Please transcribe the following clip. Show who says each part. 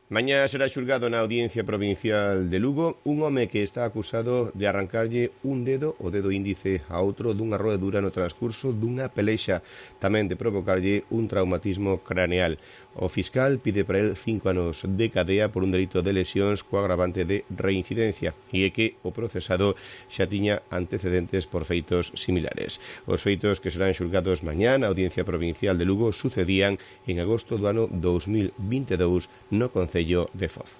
Speaker 1: Mañá será xulgado na Audiencia Provincial de Lugo un home que está acusado de arrancarlle un dedo, o dedo índice, a outro dunha roedura no transcurso dunha pelexa, tamén de provocarlle un traumatismo craneal. O fiscal pide para el 5 anos de cadea por un delito de lesións co agravante de reincidencia, e é que o procesado xa tiña antecedentes por feitos similares. Os feitos que serán xulgados mañá na Audiencia Provincial de Lugo sucedían en agosto do ano 2022 no Concello de Foz.